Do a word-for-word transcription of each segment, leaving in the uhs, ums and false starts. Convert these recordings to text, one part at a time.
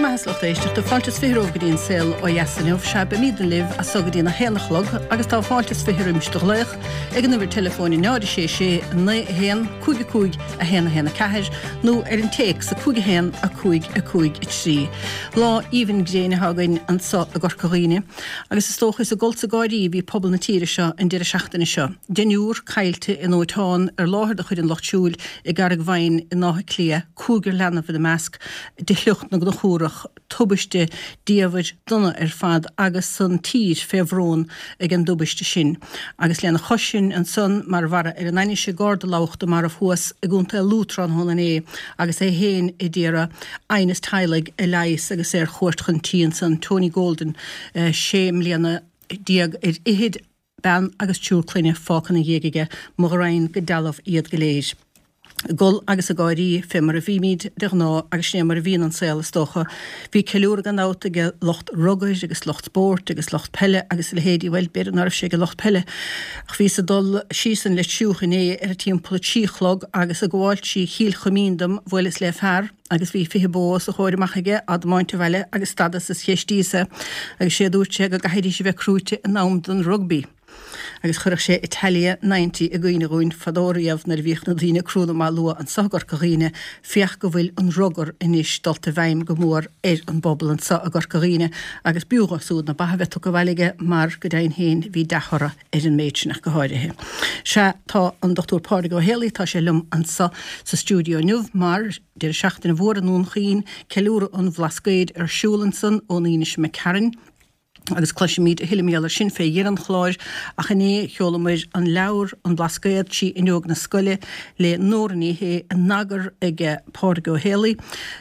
Bhur mbeatha, a lucht éisteachta, fáilte is fiche romhaibh go dtí an Saol Ó Dheas inniu. Sea, beimidne libh as so go dtí a haon a chlog agus tá fáilte is fiche roimis do ghlaoch ag an uimhir teileafóin náid a sé sé naoi a haon cúig a cúig a haon a haon a ceathair nó ar an téacs a cúig a haon a cúig a cúig a trí. Lá aoibhinn gréine atá againn anso i gCorca Dhuibhne agus is dócha is ag gol 's ag gáirí a bhí pobal na tíre seo an deireadh seachtaine seo. Deichniúr caillte i ndóiteán ar láthair de chuid an Lucht Siúil i gCarraig Mhaighin in Áth Cliath, cúigear leanbh ina measc, de shliocht na gConchúrach, tubaiste diamhair dona ar fad agus an tír fé bhrón ag an dtubaiste sin. Agus lena chois sin ansan mar bharra ar an ainnise, garda lamhachta marbh thuas i gContae Lú tráthnóna inné agus é féin a d'iarraidh aighneas teaghlaigh a leigheas agus é ar chuairt chun tí ansan, Tony Golden, sé mbliana déag ar fhichid, bean agus triúr clainne fágtha ina dhiaidh aige, mo ghraidhin go dealbh iad go léir. Ag gol agus ag gáirí, fé mar a bhímid de ghnáth, agus sin é mar a bhíonn an saol, is dócha. Bhí ceiliúradh gan dabht ag lucht rugair agus lucht spóirt agus lucht peile agus a leithéidí, bhuel, b'fhéidir ná raibh sé ag lucht peile, ach bhíos ag dul síos an Leitriúch inné ar timpeall a trí a chlog agus ag gabháil trí Chill Chuimín dom, bhuaileas le fear agus bhí fiche bó os a chomhair amach aige á dtiomáint abhaile agus stadas is cheistíos é agus sé a dúirt sé go gcaithfidís a bheith crúite in am don rugbaí. Agus chuirfeadh sé Italia Ninety i gcuimhne dhúinn fadó riamh nuair a bhíodh na daoine crúite amach luath anso i gCorca Dhuibhne, féach go bhfuil an rugar anois dulta i bhfeidhm go mór ar an bpobal anso i gCorca Dhuibhne agus b'fhiú dhó súd na ba a bheith tugtha abhaile aige mar go deimhin féin bhí dea-thoradh ar an méid sin ach go háirithe. Sea, tá an Dochtúir Pádraig Ó Héalaí, tá sé liom anso sa stiúideo inniu mar deireadh seachtaine mhór i nDún Chaoin, ceiliúradh an Bhlascaoid ar siúl ansan ón Aoine seo imigh tharainn. Agus cloisfimid a thuilleadh mar gheall air sin fé dheireadh an chláir, ach inné sheolamair an leabhar An Blascaod trí fhuinneog na scoile le Nóra Ní Shé in eagar ag Pádraig Ó Héalaí.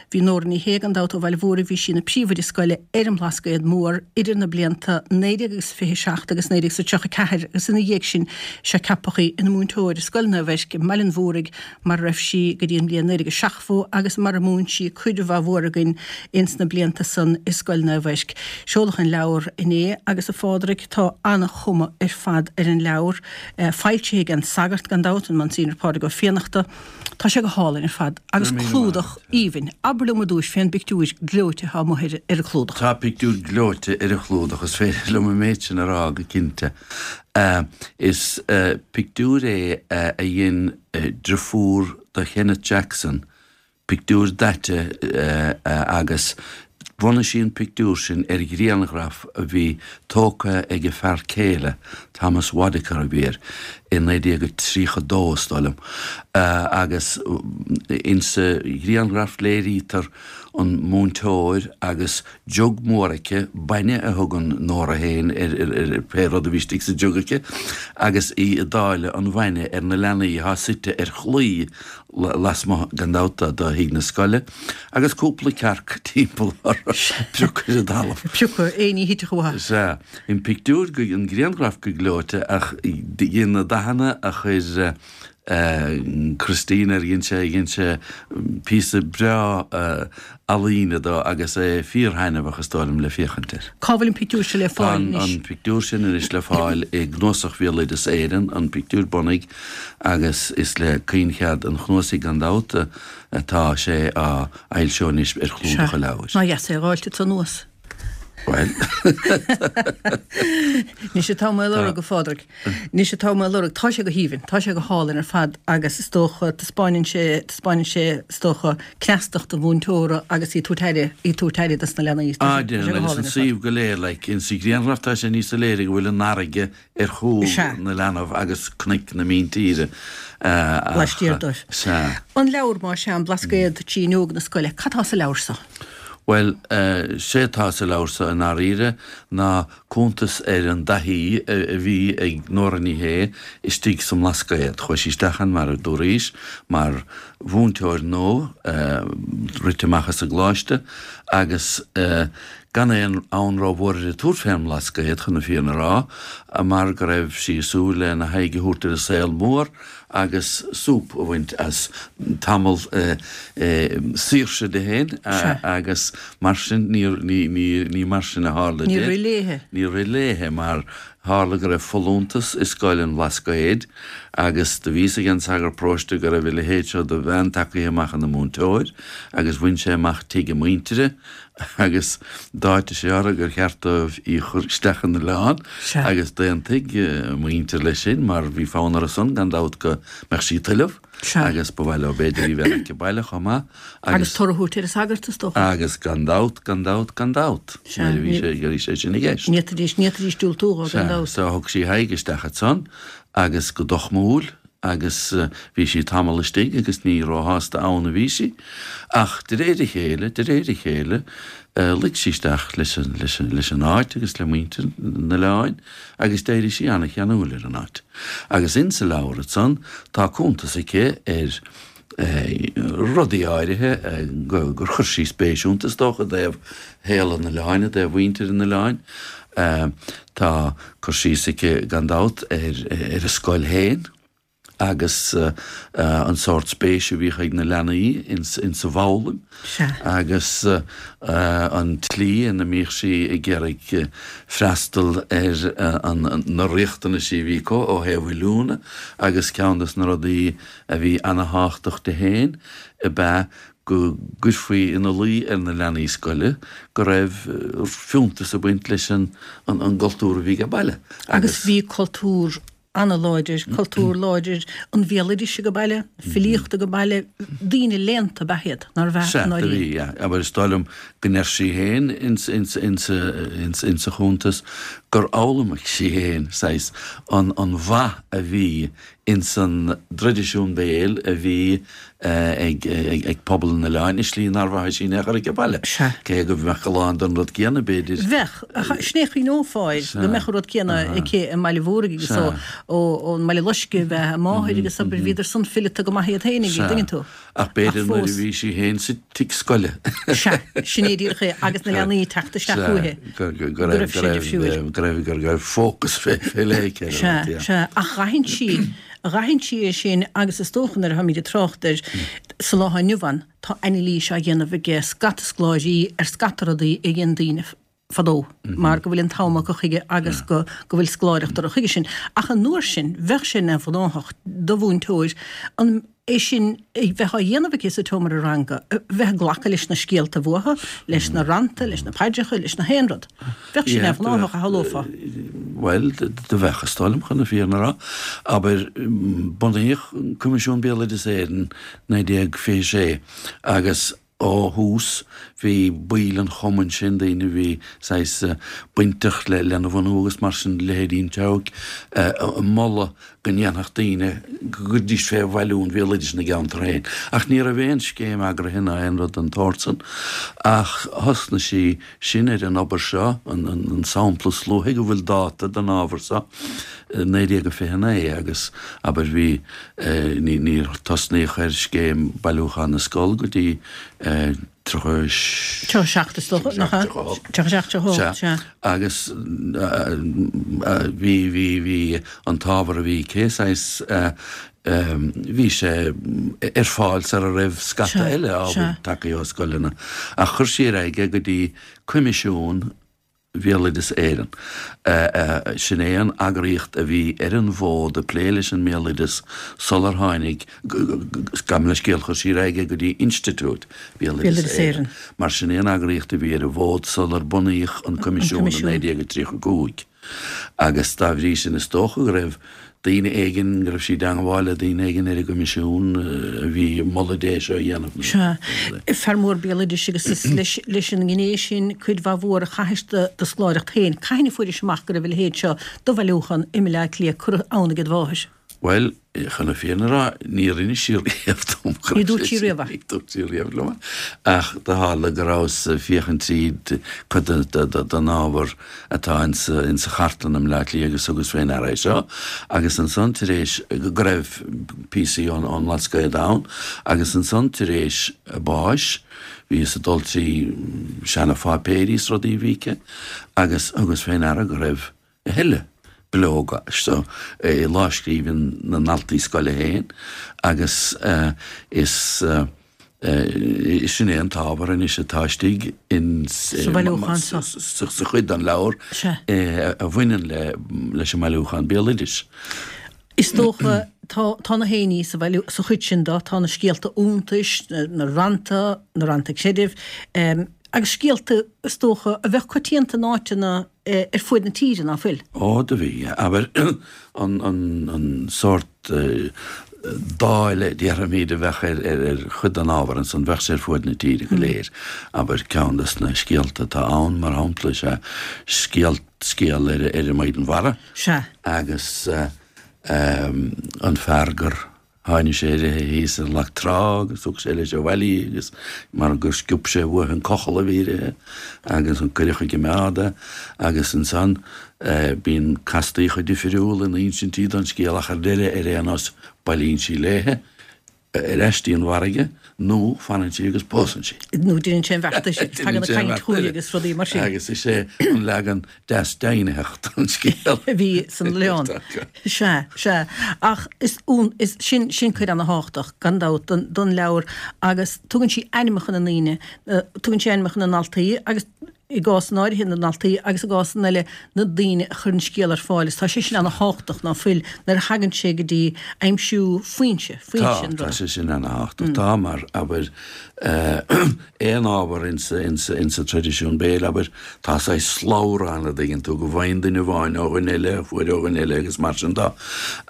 Bhí Nóra Ní Shé, gan dabht, ó Bhaile Mhúraigh, bhí sí ina príomhoide scoile ar an mBlascaod Mór idir na blianta naoi déag agus fiche seacht agus naoi déag is tríocha ceathair agus ina dhiaidh sin sea ceapadh í ina múinteoir i Scoil Naomh Eirc i mBaile an Mhúraigh mar a raibh sí go dtí an bhliain naoi déag a seachtó agus mar a mhúin sí cuid mhaith mhór againn ins na blianta san i Scoil Naomh Eirc. Seoladh an leabhar inné agus a Phádraig tá ana-chuma ar fad ar an leabhar, foilsithe ag An Sagart gan dabht, an Monsignor Pádraig Ó Fiannachta. Tá sé go hálainn ar fad agus clúdach aoibhinn. Abair liom ar dtúis fén bpictiúir gleoite atá amuigh ar an chlúdach. Tá pictiúr gleoite ar an chlúdach, is féidir liom an méid sin a rá go cinnte. Is pictiúr é a dhein driofúr do Kenneth Jackson, pictiúr daite agus bhunaigh sí an pictiúr sin ar ghrianghraf a bhí tógtha ag a fear céile, Thomas Wodicker a bhí air, i naoi déag a tríocha dó is dóigh liom, agus insa ghrianghraf léirítear an múinteoir agus jug mór aici, bainne a thugann Nóra féin ar pé rud a bhí istigh sa jug aici, agus í ag dáileadh an bhainne ar na leanaí atá suite ar chlaí lasmuigh, gan dabht, de thigh na scoile, agus cúpla cearc timpeall orthu, piocadh ar an dtalamh. Piocadh éinní a thitfeadh uathu. Sea. An pictiúr, an grianghraf go gleoite, ach dhein na dathanna a chuir Christine air, dhein sé, dhein sé píosa breá ealaíne dó agus é fíorthaitneamhach is dóigh liom le féachaint air. Cá bhfuil an pictiúr seo le fáil anois? Tá an pictiúr sin anois le fáil i gCnuasach Bhéaloideas Éireann, an pictiúr bunaidh, agus is le caoinchead an chnuasaigh gan dabht atá sé á fhoilsiú anois ar chlúdach an leabhair. Sea, nár dheas é a dh'fháilt anso anuas. Bhuel. Anois atá mé a lorg, a Phádraig. Anois atá mé a lorg. Tá sé go haoibhinn. Tá sé go hálainn ar fad agus is dócha, taispeáineann sé, taispeáineann sé, is dócha, cneastacht an mhúinteora agus í ag tabhairt aire, í ag tabhairt aire dos na leanaí. Tá sé go hálainn ar fad. An suíomh go léir, like, insa ghrianghraf tá sé níos soiléire go bhfuil an fharraige ar chúl na leanbh agus cnoic na míntíre ach. Laistiar dóibh. Sea. An leabhar, más ea, An Blascaod trí fhuinneog na scoile, cad tá sa leabhar so? Bhuel, sé atá sa leabhar so i ndáiríre ná cuntas ar an dtaithí a bhí ag Nóra Ní Shé istigh sa mBlascaod. Chuaigh sí isteach ann, mar a dúraís, mar mhúinteoir nua, rite amach as an gcoláiste, agus gan aon fhonn rómhór uirthi tabhairt fén mBlascaod, chun na fírinne a rá, mar go raibh sí ag súil lena haghaidh a thabhairt ar an saol mór agus súp a bhaint as tamall saoirse di féin agus mar sin ní mar sin a tharla di. Níor rith léithe. Níor rith léithe mar Tharla go raibh folúntas i scoil an Bhlascaoid agus do bhí a fhios ag an sagart paróiste go raibh a leithéid seo de bhean tagtha amach ina múinteoir agus bhain sé amach tigh a muintire agus d'áitigh sé orthu gur cheart dóibh í a chur isteach in oileán agus d'aontaigh a muintir leis sin mar bhí fonn orthu san gan dabht go mbeadh sí ag tuilleamh agus ba mhaith leo b'fhéidir í bheith aici baile chomh maith agus. Agus toradh a thabhairt ar an sagart is dócha. Agus gan dabht, gan dabht, gan dabht nuair a bhí sé, bhí sé sin i gceist. Ní fhéadfaidís, ní fhéadfaidís diúltú dhó gan dabht. So thug sí a haghaidh isteach ansan agus go dochmúil agus bhí sí tamall istigh agus ní róshásta ann a bhí sí. Ach de réir a chéile, de réir a chéile, luigh sí isteach leis an, leis an, leis an áit agus le muintir an oileáin agus d'éirigh sí an-cheanúil ar an áit. Agus insa leabhar ansan tá cuntas aici ar rudaí áirithe gur chuir sí spéis iontu, is dócha, i dtaobh shaol an oileáin, i dtaobh mhuintir an oileáin. Tá cur síos aici, gan dabht, ar ar a scoil féin agus an sórt spéise a bhíodh ag na leanaí insa bhfoghlaim agus an tslí ina mbíodh sí ag iarraidh freastal ar na riachtanaisí a bhí acu ó thaobh oiliúna agus ceann de na rudaí a bhí ana-thábhachtach di féin ab ea go gcuirfí ina luí ar na leanaí scoile go raibh fiúntas ag baint leis an gcultúr a bhí age baile agus. Agus bhí cultúr ana-láidir, cultúr láidir an bhéaloidis age baile, filíocht age baile, daoine léannta ab ea iad, nárbh ea? Sea, do bhí, yeah. Abair, is dóigh liom go ndeir sí féin insa chuntas gur fhoghlaim sí féin, saghas, an mhaith a bhí ins an dtraidisiún béil a bhí ag pobal an oileáin i slí nár mhothaigh sí in aon chor age baile. Cé go mbeadh a lán den rud céanna, b'fhéidir. Bheadh. Sin é chuimhneofá air, go mbeadh an rud céanna aici i mBaile Mhúraigh agus ón mBaile Loiscthe ab ea a máthair agus abair bhíodar san fileata go maith iad féin, an dtuigeann tú. Ach b'fhéidir nuair a bhí sí féin sa tigh scoile. Sea, sin é díreach é, agus na leanaí ag teacht isteach uaithi. Go raibh sé difriúil. Go raibh, go raibh fócas fé leith aici ar an rud, yeah. Sea, sea. Ach d'aithin sí, d'aithin sí é sin agus is dócha nuair a tháimid ag trácht air sa lá atá inniu ann, tá anailís á dhéanamh ag scata scoláirí ar scata rudaí a dhein daoine fadó mar go bhfuil an t-am acu chuige agus go go bhfuil scoláireacht orthu chuige sin. Ach an uair sin, bheadh sé neamhghnáthach do mhúinteoir an é sin a bheith á dhéanamh aici sa tseomra ranga, bheith ag glacadh leis na scéalta uathu, leis na rannta, leis na paidreacha, leis na haon rud. Bheadh sé neamhghnáthach, a shamhlófá. Bhuel, do bheadh, is dóigh liom, chun na fírinne a rá. Abair, bunaíodh Coimisiún Béaloideas Éireann naoi déag fiche sé agus ó thús bhí baill an chumainn sin, daoine a bhí saghas bainteach lena bhunú agus mar sin, leithéidí an Tseabhaic, ag moladh go ndéanfadh daoine, go gcuirfidís fé bhailiú an bhéaloidis ina gceantar féin. Ach ní raibh aon scéim eagraithe ná aon rud den tsórt san. Ach thosnaigh sí sin ar an obair seo, an sampla is luaithe go bhfuil dáta den ábhar seo, naoi déag a fiche naoi, agus abair bhí, níor tosnaíodh ar scéim bailiúcháin na scol go dtí tríocha Tríocha seacht is dócha, nach ea? Tríocha seacht, tríocha hocht, sea. Agus bhí, bhí, bhí an t-ábhar a bhí aici, saghas, bhí sé ar fáil sara raibh scata eile ábhair tagtha ó scoileanna. Ach chuir sí ar aghaidh é go dtí Coimisiún Bhéaloideas Éireann. Sin é an eagraíocht a bhí ar an bhfód ag plé leis an mbéaloideas sular tháinig, gabh mo leithscéal, chuir sí ar aghaidh é go dtí Institiúid Bhéaloideas Éireann, mar sin é an eagraíocht a bhí ar an bhfód sular bunaíodh an Coimisiún i naoi déag tríocha a cúig. Agus dá bhrí sin is dócha go raibh daoine éigin, go raibh sí i dteangmháil le daoine éigin ar an gCoimisiún a bhí ag moladh di é seo a dhéanamh. Sea. Fear mór béaloidis agus is leis an ngné sin cuid mhaith mhór a chaithis do scoláireacht féin. Cathain a fuairis amach go raibh a leithéid seo de bhailiúchán i mBaile Átha Cliath curtha ann ag id mháthair? Bhuel, chun na fírinne a rá, níor inis sí riamh dom go Ní dúirt sí riamh é. Ní dúirt sí riamh liom é. Ach do tharla go rabhas ag féachaint tríd cuid den ábhar atá insa chartlann i mBaile Átha Cliath agus thugas fé ndeara é seo. Agus ansan tar éis, go raibh píosaí ón mBlascaod ann, agus ansan tar éis a báis, bhíos ag dul trí seana-pháipéirí is rudaí a bhí aici agus thugas fé ndeara go raibh a thuilleadh bileoga seo i lámhscríbhinn na ndaltaí scoile féin agus is Sin é an t-ábhar anois atá istigh in Sa bhailiúchán seo. Sa chuid den leabhar Sea. a bhaineann le leis an mbailiúchán béaloidis. Is dócha tá tá na héiní sa bhailiú sa chuid sin de, tá na scéalta iontais, na na rannta, na rannta creidimh, agus scéalta is dócha a bheadh coitianta in áiteanna ar fuaid na tíre, ná fuil? Ó, do bhí, abair, an an an sórt dáileadh, déarfaimid, a bheadh ar ar ar chuid den ábhar ansan, bheadh sé ar fuaid na tíre go léir. Abair, ceann des na scéalta atá ann, mar shampla, is ea scéal scéal ar ar an Maighdean Mhara. Sea. Agus an fear gur tháinig sé uirthi thíos ar leac trá agus thug sé leis abhaile í agus mar gur sciob sé uaithi an cochall a bhí uirthi agus an cuireadh chuig an mbád é agus ansan bíonn castaíocha difriúla in insintí don scéal ach ar deireadh ar aon nós bailíonn sí léithe ar ais dtí an bhfarraige nó fanann sí agus pósann sí. Nó déanann sé an bheart eile, tagann an chaint chugainn agus rudaí mar sin. Agus is é an leagan deas deimhnitheach don scéal. A bhí san oileán. Sea, sea. Ach is, is, sin, sin cuid ana-thábhachtach, gan dabht, don, don leabhar agus tugann sí ainmneacha na ndaoine, tugann sí ainmneacha na ndaltaí agus i gcás in áirithe na ndaltaí agus i gcás in eile na daoine a chuir an scéal ar fáil. Is tá sé sin ana-thábhachtach, ná fuil, nuair a thagann sé go dtí aimsiú foinse, foinse an Tá, tá ruda. sé sin ana-thábhachtach. Tá, mar, abair, aon ábhar insa, insa, insa traidisiún béil, abair, tá saghas slabhra ann, a dtuigeann tú, go bhfaigheann duine amháin ó dhuine eile, a fuair ó dhuine eile agus mar sin de.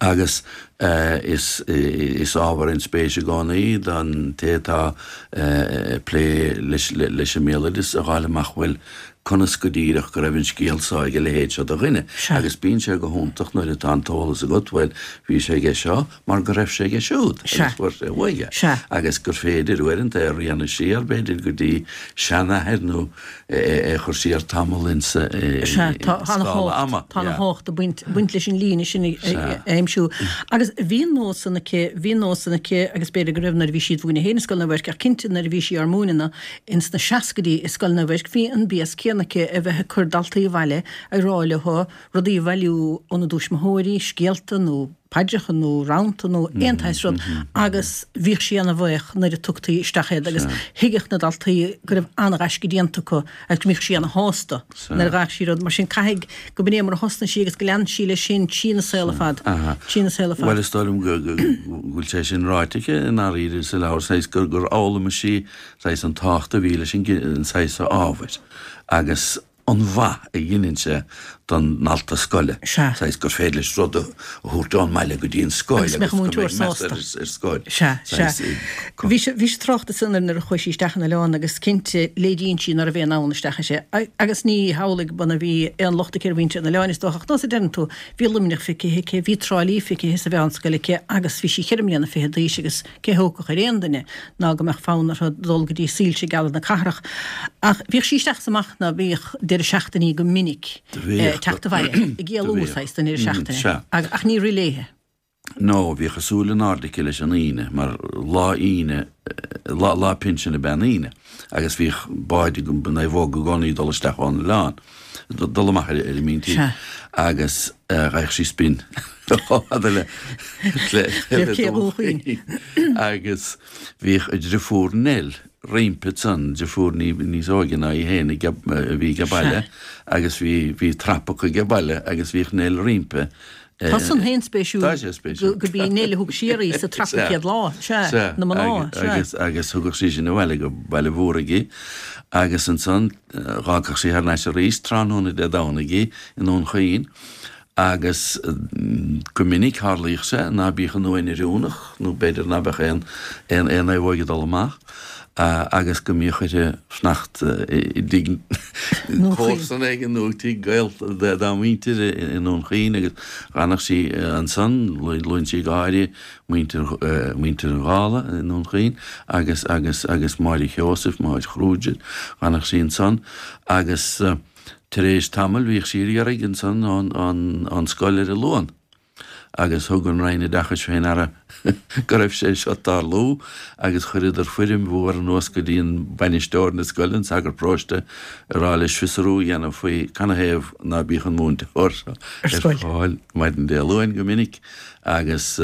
Agus is, is ábhar inspéise i gcónaí don té atá ag plé leis, leis an mbéaloideas a dh'fháil amach, bhuel, conas go díreach go raibh an scéal seo ag a leithéid seo de dhuine. Agus bíonn sé go hiontach nuair atá an t-eolas agat, bhuel, bhí sé aige seo mar go raibh sé aige siúd agus fuair sé uaidh é. Agus gur féidir uaireanta é a rianadh siar, b'fhéidir, go dtí seanathair nó é a chur siar tamall insa scála ama. Tá ana-thábhacht ag baint leis an líne sin a aimsiú. Agus bhí an nós san aici, bhí an nós san aici agus b'fhéidir go raibh nuair a bhí sí ag múineadh féin i Scoil Naomh Eirc ach cinnte nuair a bhí sí ár múineadh ins na seascaidí i Scoil Naomh Eirc bhí an béas céanna aici a bheith ag cur daltaí abhaile ag rá leo rudaí a bhailiú óna dtuismitheoirí, scéalta nó paidreacha nó rannta nó aon tsaghas rud agus bhíodh sí ana-bhuíoch nuair a tugtaí isteach iad agus thuigeadh na daltaí go raibh ana-ghaisce déanta acu agus go mbíodh sí ana-shásta nuair a d'fhaigheadh sí rud mar sin. Caithfidh go b'in é mar a thosnaigh sí agus go lean sí leis sin trína saol ar fad, trína saol ar fad. Bhuel is dóigh liom go bhfuil sé sin ráite aici i ndáiríre sa leabhar, saghas gur fhoghlaim sí saghas an tábhacht a bhí leis an saghas ábhair agus an mhaith a dheineann sé don ndalta scoile, saghas gur féidir leis rud a thabhairt ón mbaile go dtí an scoil agus go mbeidh meas air ar scoil. Sea, sea. Bhí sé, bhí sé ag trácht ansan ar nuair a chuaigh sí isteach in oileán agus cinnte léiríonn sí ná raibh aon fhonn isteach inti agus ní hamhlaidh go bhí aon locht aici ar mhuintir an oileáin is dócha ach nós a deireann tú, bhí Luimneach feicthe aici, bhí Trá Lí feicthe sa mheánscoil aici agus bhí sí ceithre mbliana fichead d'aois agus cé thógfadh ar aon duine ná go mbeadh fonn uirthi dul go dtí soilse geala na cathrach. Ach bhíodh sí isteach is amach ná bíodh deireadh seachtainí go minic ag teacht abhaile, ag éalú saghas don deireadh seachtaine. Ach ní rith léithe. No, bhíodh a súil in airde aici leis an Aoine, mar lá Aoine, lá, lá pinsin ab ea an Aoine, agus bhíodh báid ag an naomhóg i gcónaí ag dul isteach ón oileán, dul amach ar an míntír, agus gheibheadh sí spin chomh fada le, le, le Dún Chaoin. Agus bhíodh a driofúr Nell roimpi ansan, driofúr níos óige ná í féin a bhí age baile agus bhí, bhí trap acu age baile agus bhíodh Nell roimpi. Tá san féin spéisiúil. Tá sé spéisiúil. Go b'í Nell a thug siar í sa trap an chéad lá, sea, na mná, sea. Agus, agus thugadh sí sin abhaile go Baile Mhúraigh í agus ansan dh'fhágfadh sí thar n-ais arís tráthnóna Dé Domhnaigh í i nDún Chaoin. Agus go minic tharlaíodh sé ná bíodh an uain oiriúnach nó b'fhéidir ná beadh aon aon aon naomhóig ag dul amach agus go mbíodh uirthi fanacht i dtigh comharsan éigin nó tigh gaol dá muintir i nDún Chaoin agus dh'fhanadh sí ansan, luann sí go háirithe muintir muintir an Dhálaigh i nDún Chaoin agus agus agus Máire Sheosaimh, Máire Kruger, dh'fhanadh sí ansan agus. Tar éis tamaill bhíodh sí ar iarraidh ansan ón scoil ar an Luan agus thug an Roinn Oideachais fé ndeara go raibh sé seo ag tarlú agus chuireadar foirm mhór anuas go dtí an bainisteoir na scoile, an sagart paróiste, ag rá leis fiosrú a dhéanamh faoi canathaobh ná bíodh an múinteoir seo ar fáil maidin Dé Luain go minic agus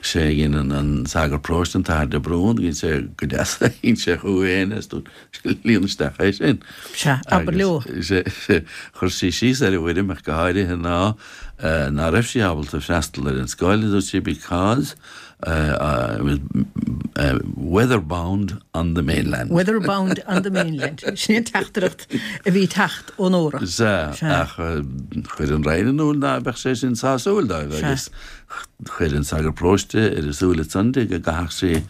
Sé a dhein an sagart paróiste, an tAthair de Brún, dhein sé go deas é, shín sé chucu féin é is dúirt sé, líon isteach é sin. Sea, abair leo. Agus chuir sí síos ar an bhfoirm ach go háirithe ná ná raibh sí ábalta freastal ar an scoil, dúirt sí, because I was weather bound on the mainland. Weather bound on the mainland. Sin an teachtaireacht a bhí ag teacht ó Nóra. Sea, ach chuir an Roinn in iúl ná beadh sé sin sásúil dóibh agus chuir an sagart paróiste ar a súile san di go gcaithfeadh sí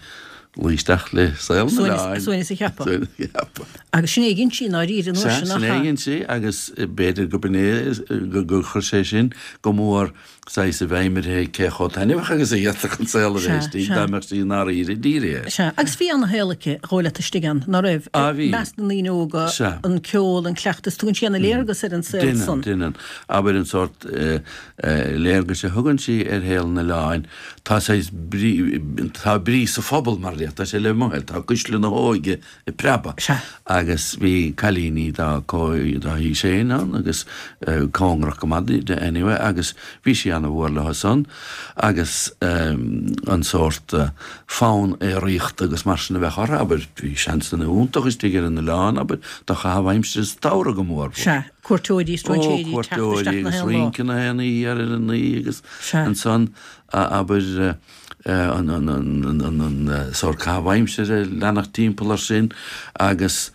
luí isteach le saol an oileáin. Suaimhneas a cheapadh. Agus sin é a dhein sí i ndáiríre an uair sin, nach ea? Sea, sin é a dhein sí agus b'fhéidir go b'in é gur chuir sé sin go mór saghas i bhfeidhm uirthi cé chomh taitneamhach agus a d'fhéadfadh an saol a bheith istigh dá mbeadh sí i ndáiríre dírithe air. Sea, agus bhí ana-shaol aici a dhul leat istigh ann, ná raibh? Á bhí. I measc na ndaoine óga, Sea. an ceol, an cleachtas, tugann sí ana-léargas ar an saol san. Deineann, deineann. Abair an sórt léargais a thugann sí ar shaol an oileáin, tá saghas brí, tá brí sa phobal mar a déarfá, tá sé le mothú, tá cuisle na hóige ag preabadh. Sea. Agus bhí cailíní dá haois féin ann agus cóngarach go maith di anyway agus bhí sí ana-mhór leo san agus an sórt fonn aeraíochta agus mar sin a bheadh orthu, abair, bhí seansanna iontach istigh ar an oileán, abair, do chaitheamh aimsire sa tsamhradh go mór mhór. Sea, cuairteoirí, Ó, stróinséirí ag teacht cuairteoirí isteach na agus haon lá. rince na haon oíche ar an oíche agus Sea. ansan, abair, an an an an an sórt caitheamh aimsire, leanacht timpeall air sin agus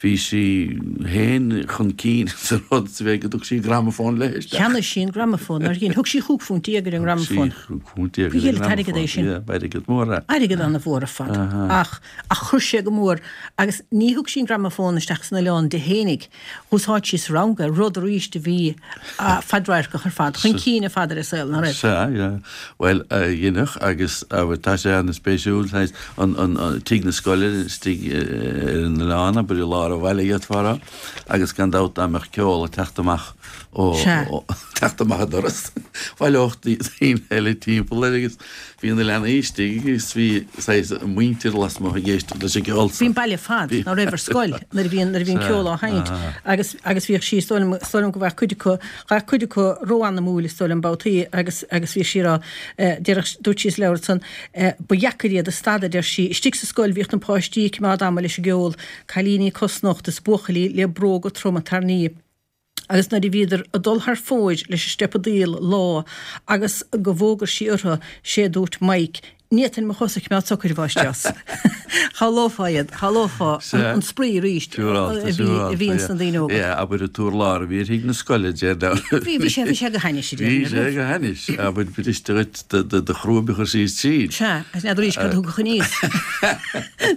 bhí sí féin chun cinn sa rud sa mhéid go dtug sí gramafón léi isteach. Cheannaigh sí an gramafón, nár dhein? Thug sí chúig phunt déag ar an Thug sí ngramafón. chúig phunt déag Ba ar an dhiail an t-airgead é ngramafón, sin. yeah, b'airgead mór é. Airgead ana-mhór ar fad. Ach, ach chuir sé go mór, agus ní thug sí an gramafón isteach san oileán di fhéinig, Dh'úsáid sí sa rang é, rud arís a bhí fadradharcach ar fad, chun cinn ar fad ar an saol, ná raibh? Sea, yeah. Bhuel, dheineadh agus tá sé an-spéisiúil, saghas, an, an, tigh na scoile istigh ar an oileán, abair i lár an bhaile d'fhéadfá a rá, agus gan dabht dá mbeadh ceol ag teacht amach ó, Sea. ó, teacht amach an doras, bhaileodh daoine eile timpeall air agus bhí na leanaí istigh agus bhí saghas muintir lasmuigh ag éisteacht leis an gceol Bhí an baile ar fad, ná raibh, ar scoil nuair a bhí nuair a bhí an ceol á sheinnt agus agus bhíodh sí, is dóigh liom, is dóigh liom go bhfaigheadh cuid acu, ghabhadh cuid acu ró-anamúil is dóigh liom babhtaí agus agus bhíodh sí ag rá, déarfadh, dúirt sí sa leabhar ansan, ba dheacair iad a stadadh, deir sí, istigh sa scoil bhíodh na páistí ag cimeád ama leis an gceol, cailíní cosnochta is buachaillí le bróga troma tairní. Agus nuair a bhíodar ag dul thar fóir leis an steipeadaíl lá agus go bhfógair sí orthu, sé a dúirt Mike, Ní fhéadfainn mo chosa a chimeád socair, a mháistreás. Shamhlófá iad, shamhlófá an spraoi arís a bhí ins na daoine óga. Yeah, abair an t-urlár a bhí ar thigh na scoile, deir Bhí, bhí sé, bhí sé go hainnis, a Bhí sé go hainnis, abair briste dhuit do chrúib a chur síos tríd. Sea, agus n'fheadar arís cad a thiocfadh aníos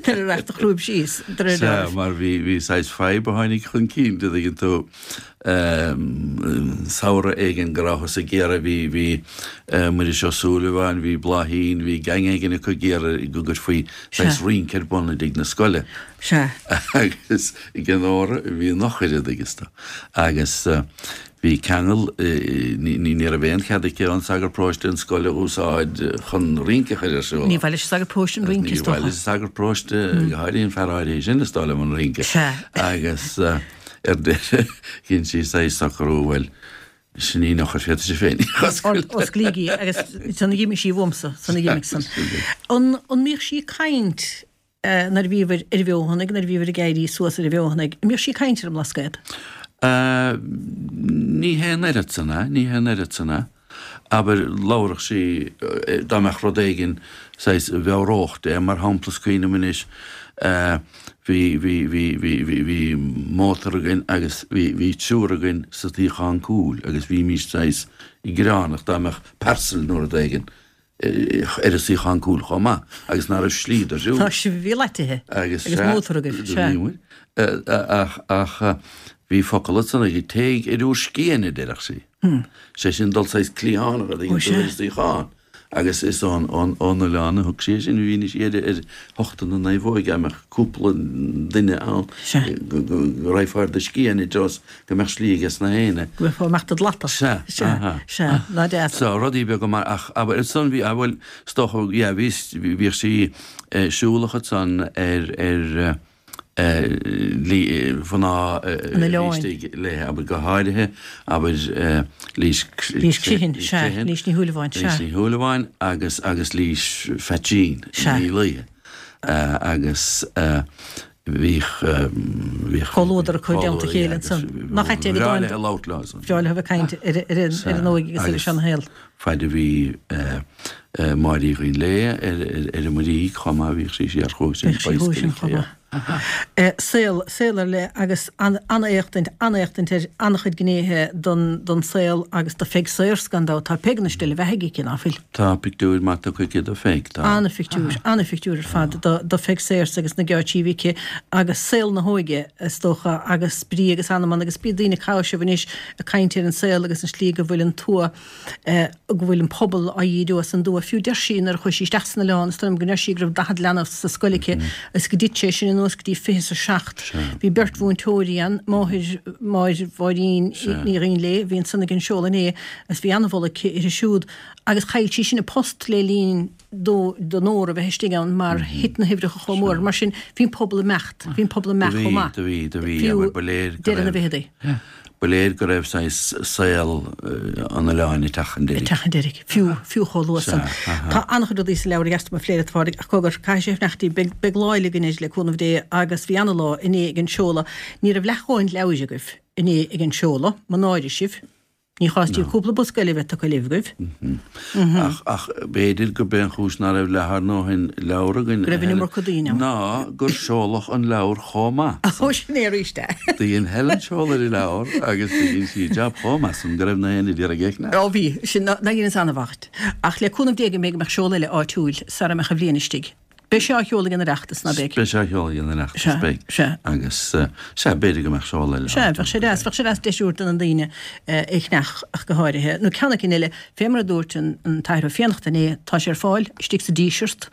nuair a rachadh do chrúib síos, de réir Sea, dealraimh. mar bhí, bhí saghas fadhb a tháinig chun cinn, an dtuigeann tú. Samhradh éigin go rabhthas ag iarraidh, bhí, bhí Muiris Ó Súilleabháin, bhí Bláithín, bhí gang éigin acu ag iarraidh go gcuirfí saghas rince ar bun i dtigh na scoile. Sea. Agus ag an Nóra, bhí an eochair an dtuigeann tú. Agus bhí ceangal, ní, ní raibh aon chead aici an sagart paróiste an scoil a úsáid chun rince a chur ar siúl. Ní mhaith leis an sagart paróiste an rince, is Ní mhaith dócha. leis an sagart paróiste, go háirithe an fear áirithe sin, is dóigh liom, an rince. Sea. Agus. Ar deireadh, dhein sí saghas socrú, bhuel, sin í an eochair, féadfaidh sibh féin í a oscailt. Osclaígí agus san a dh'imigh sí uaimse, san a dh'imigh san. An mbíodh sí ag caint nuair a bhíobhair ar an bhFeothanaigh, nuair a bhíobhair ag éirí suas ar an bhFeothanaigh, an mbíodh sí ag caint ar an mBlascaod? Ní hé an oiread san é, ní hé an oiread san é. Abair, labharfadh sí, dá mbeadh rud éigin saghas a mheabhródh di, mar shampla, is cuimhin liom anois, bhí, bhí, bhí, bhí, bhí, bhí mótar againn agus bhí, bhí triúr againn sa tsuíochán cúil agus bhímís saghas gearánach dá mbeadh parcel nó rud éigin ar an suíochán cúil chomh maith agus ná raibh slí do shiúl. Tá sibh, bhí leaitithe Agus agus sea, mótar agaibh, do sea. bhí muid. Ach, ach bhí focal ansan aici, téigh ar bhur scian, a deireadh sí. Sé sin dul saghas cliathánach a Ó dtuigeann tú sea. ar an suíochán. Agus is ón oileán a thug sí é sin, mhínigh sí ar ar thochta na naomhóige, dá mbeadh cúpla duine ann go raghfá ar do scian i dtreo is go mbeadh slí aige sna héinne. Go mbeifeá amach do lata. Sea, aha. Sea, ná deas. So, rudaí beaga mar, ach abair, ansan bhí, ah bhuel, is dócha, yeah, bhí, bhíodh sí siúlach ansan ar, ar, mhná istigh léi, abair go háirithe, abair Lís Lís Criomhthain, sea, Lís Ní Shúilleabháin, sea. Lís Ní Shúilleabháin agus agus Lís Pheaitsín Ní Laoithe agus bhíodh bhíodh Comhluadar acu i dteannta a chéile ansan. Nach ait é go Bhreá léi labhairt leo ansan. Bhreá leo a bheith ag caint ar ar an óige agus ar an seanshaol. Faid a bhí Máire Uí Dhuinnshléibhe ar ar an Muirígh chomh maith, bhíodh sí siar chugainn Bhíodh sí chugainn sin chomh maith. Saol, saol ar leith agus an-éachtaint, an-éachtaint ar an-chuid gnéithe don don saol agus do Pheig Sayers gan dabht. Tá Peig anois uile bheathaigh aici, ná fuil? Tá pictiúir maith tugtha aici do Pheig, tá. An-phictiúir, an-phictiúir ar fad do do Pheig Sayers agus na geáitsí a bhí aici agus saol na hóige is dócha agus brí agus anam ann agus bíonn daoine ag caitheamh anois ag caint ar an saol agus an slí go bhfuil an tuath go bhfuil an pobal á dhíriú as an dtuath. Fiú deir sí nuair a chuaigh sí isteach san oileán, is dóigh liom go ndeir sí go raibh daichead leanbh sa scoil aici is go dtit sé sin anuas go dtí fiche is a seacht. Bhí beirt mhúinteoirí ann, máthair Mháire Mháirín Ní Dhuinnshléibhe, a bhí ansan ag an seoladh inné agus bhí an-mholadh aici uirthi siúd agus chaill sí sin a post le linn do do Nóra bheith istigh ann mar thit na huimhreacha chomh mór. Mar sin bhí an pobal ag imeacht, bhí an pobal ag imeacht chomh maith. Do bhí, do bhí, do bhí, Fiú abair, ba léir go deireadh na raibh, bhficheadaí. Ba léir go raibh saghas saol an oileáin ag teacht chun deiridh. Ag teacht chun deiridh, fiú, fiú chomh luath san. Tá an-chuid rudaí sa leabhar a gheastar mo phléire, a Phádraig, ach cogar, caithfidh sé fanacht í. Beidh, beidh lá eile againn air, le cúnamh Dé, agus bhí ana-lá inné ag an seoladh. Ní raibh leath a dhóthain leabhair agaibh inné ag an seoladh, mo náire sibh. Ní chás daoibh cúpla bosca eile a bheith tugtha libh agaibh. Ach, ach b'fhéidir gurb é an chúis ná raibh leath ár ndóthain leabhar againn, Go raibh an iomarca daoine ann. ná gur seoladh an leabhar chomh maith. Ó, sin é arís é. Do dhein Helen seoladh ar an leabhar agus do dhein sí jab chomh maith san go raibh na héinne d'iarraidh é a cheannach. Ó bhí, sin, ná dheineas an-mhaith. Ach le cúnamh Dé go mbeidh go mbeadh seoladh eile áitiúil sara mbeadh an bhliain istigh. Beidh sé á sheoladh ag an Oireachtas, ná beidh? Beidh sé á sheoladh ag an Oireachtas, Sea, beidh. sea. Agus, sea, b'fhéidir go mbeadh seoladh eile Sea, bheadh sé deas, bheadh sé deas deis a thabhairt do na daoine é a cheannach ach go háirithe. Nó ceann éicint eile, fé mar a dúirt an tAthair Ó Fiannachta inné, tá sé ar fáil istigh sa Díseart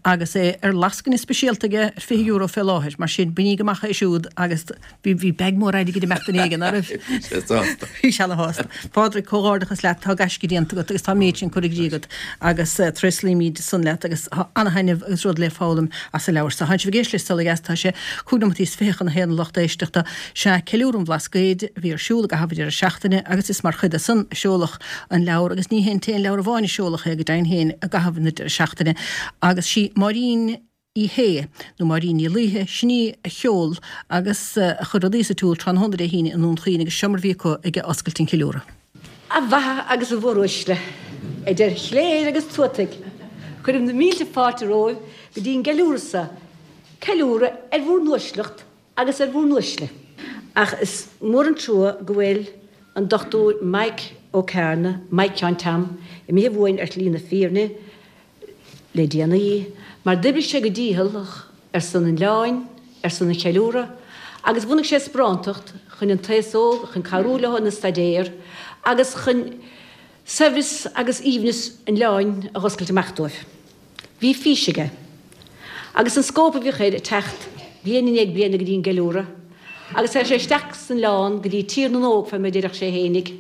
agus é ar lascaine speisialta aige ar fiche euro fé láthair. Mar sin, bainíg amach é siúd agus Bhí bhí bag mór airgid ag imeacht duine éigin, ná raibh? Bhí sé sásta. Bhí sé ana-shásta. Pádraig, comhghairdeachas leat, tá gaisce déanta agat agus tá an méid sin curtha i gcrích agat agus tréaslaímid san leat agus tá ana-thaitneamh agus rud le foghlaim as an leabhar so. Tánn sibh ag éisteacht le Saol Ó Dheas, tá sé cúig nóimeataí is fiche chun a haon a lucht éisteachta. Sea, Ceiliúradh an Bhlascaoid a bhí ar siúl i gcaitheamh an deireadh seachtaine agus is mar chuid de san a seoladh an leabhar agus ní hé an t-aon leabhar amháin a seoladh é go deimhin féin i gcaitheamh na deireadh seachtaine agus sí Máirín Uí Shé, nó Máirín Ní Laoithe, sin í a sheol agus a chuir rudaí sa tsiúl tráthnóna Dé hAoine i nDún Chaoin agus seo mar a bhí acu ag oscailt an cheiliúradh. A mhaithe agus a mhóruaisle, idir chléir agus tuataigh, cuirim na mílte fáilte romhaibh go dtí an gceiliúradh so, ceiliúradh ar bhúr n-uaisleacht agus ar bhúr n-uaisle. Ach is mór an trua go bhfuil an Dochtúir Mike Ó Cearna, Mike Sheáin Tom, imithe uainn ar shlí na fírinne, le déanaí, mar d'oibrigh sé go dícheallach ar son an oileáin, ar son an cheiliúradh, agus bhunaigh sé sparántacht chun an t-aos óg, chun cabhrú leo ina staidéar agus chun saibhreas agus aoibhneas an oileáin a dh'oscailt amach dóibh. Bhí fís aige. Agus an scóip a bhíodh air ag teacht bliain i ndiaidh bliana go dtí an gceiliúradh, agus théadh sé isteach san oileán go dtí Tír na nÓg fé mar a deireadh sé fhéinig,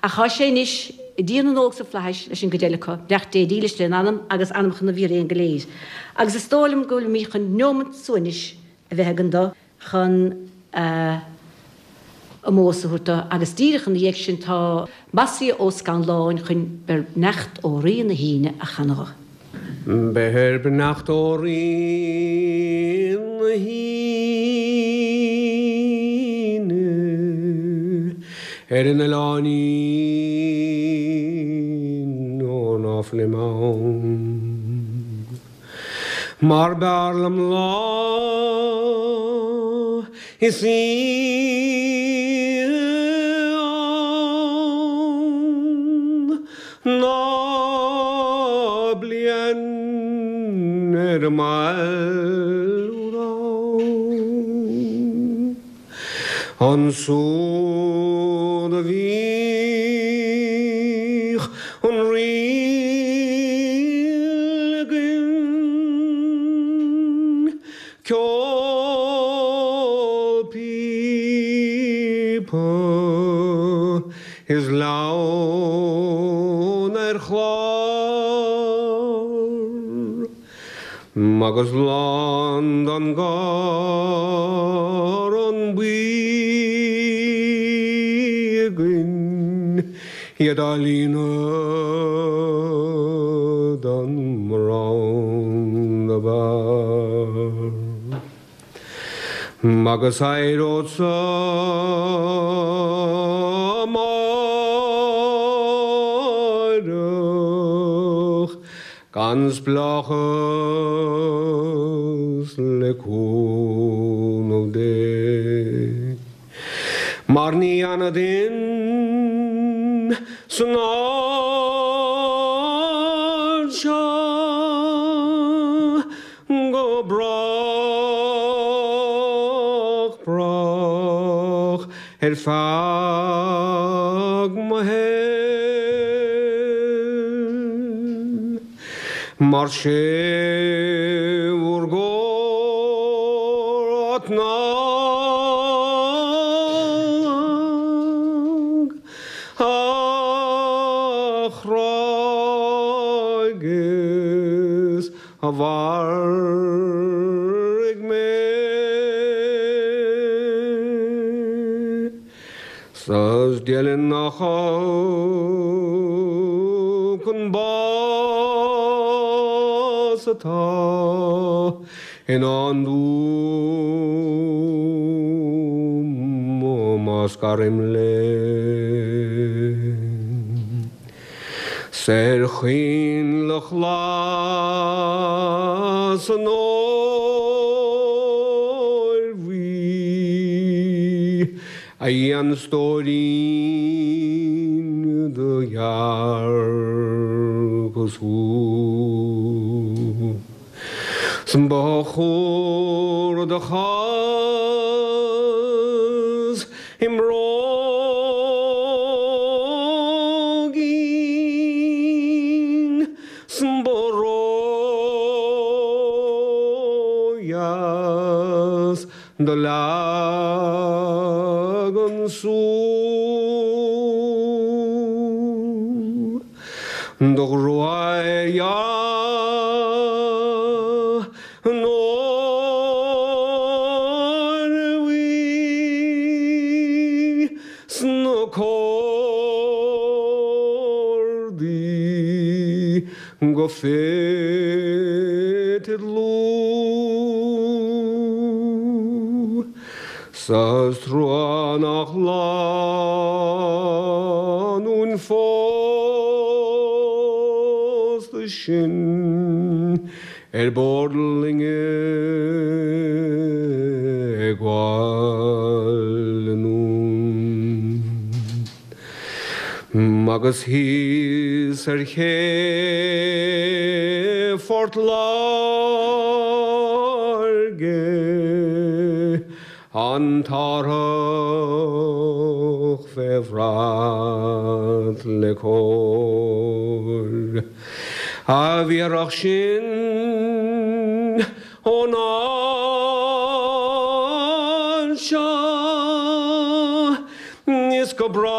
Ach thá sé anois i dTír na nÓg sa Fhlaithis leis an gcuid eile acu, beannacht Dé dílis lena anam agus anamcha na bhfíréan go léir. Agus is dóigh liom go bhfuilimíd chun neomat suaimhnis a bheith againn do, chun a omós a thabhairt do, agus díreach ina dhiaidh sin tá Mossie Ó Scanláin chun Beir Beannacht ó Rí na hAoine a chanadh dho. Beir beannacht ó Rí na hAoine ar an oileáinín ó ná fuilim ann. Mar b'fhearr liom lá is oíche ann ná bliain ar an mbaile úd. Ansúd a bhíodh an ríl againn, ceol píopa is leann ar chlár. Agus lán den gCarn Buí againn iad á líonadh don mbraon ab fhearr. Agus éireodsa amáireach gan spleáchas le cúnamh Dé. Mar ní fhanfaidh duinn san áit seo go brách brách ar feadh mo shaoil. Mar sé bhur gcóir TnaG a chráigh is a mharaigh mé. 'S is deilin nach olc an bás atá i ndán dom má scarim linn. 'S ar choinnle ghlas an óir bhuí a dhein stóirín do dhearcas thú. 'S ba chóir do chás i mbróigín 's ba ródheas do leagan sú. Do ghruaidh an óir bhuí sna cordaí go fite dlúth. Sa trua nach lánúin phósta sinn ar bord loinge ag gabháil anonn. Agus thíos ar ché Phort Láirge an t-árthach fé bhrat le cóir. A bhéarfadh sinn ón áit seo is go brách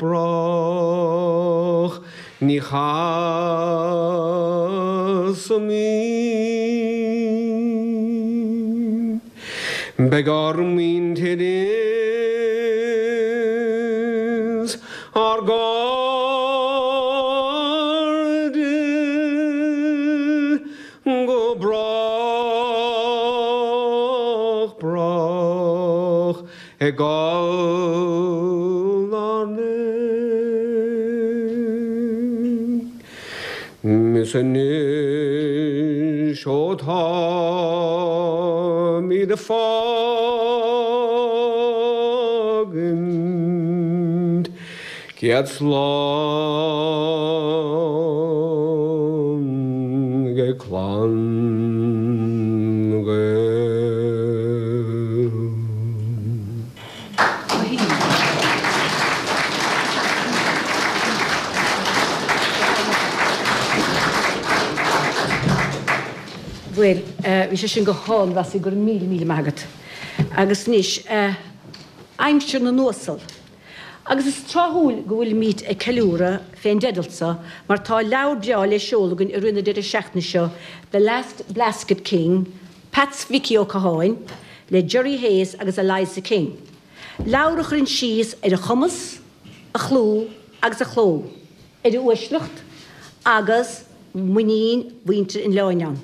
brách ní chasfaimid. Beidh ár muintir is ár gcairde go brách brách ag gabháil ár n-éag. Is anois ó táimid ag fágaint céad slán ag clann na Gael. Bhuel, bhí sé sin go hálainn Rossie go raibh míle míle maith agat. Agus anois, aimsir na n-uasal. Agus is tráthúil go bhfuilimid ag ceiliúradh fén dteideal so mar tá leabhar breá le seoladh againn i rith na deireadh seachtaine seo, The Last Blasket King, Peats Mhicí Ó Catháin, le Gerry Hayes agus Eliza King. Leabhar a chuireann síos ar a chumas, a chlú agus a chló, ar a uaisleacht agus muinín mhuintir an oileáin ann.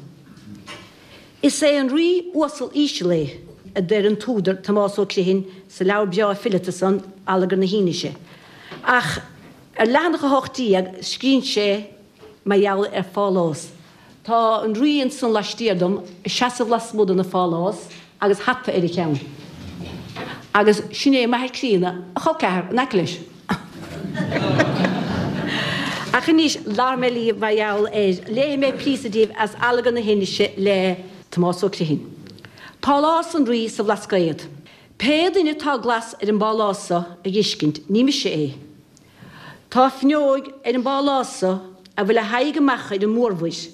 Is é an rí uasal íseal é, a deir an t-údar Tomás Ó Criomhthain sa leabhar breá fileata san, Allagar na hAinnise. Ach ar leathanach a hocht déag scríonn sé mar gheall ar phálás. Tá an rí ansan laistiar dom, ag seasamh lasmuigh de na phálás agus hata ar a cheann. Agus sin é m'athair críonna, a chol ceathar, in aice leis. Ach anois, labharfaidh mé libh mar gheall air. Léifidh mé píosa daoibh as Allagar na hAinnise le Tomás Ó Criomhthain. Pálás an Rí sa Bhlascaod. Pé duine atá glas ar an bpálás so a dh'fheiscint, ní mise é. Tá fuinneoig ar an bpálás so a bhfuil a haghaidh amach ar an mórmhuir.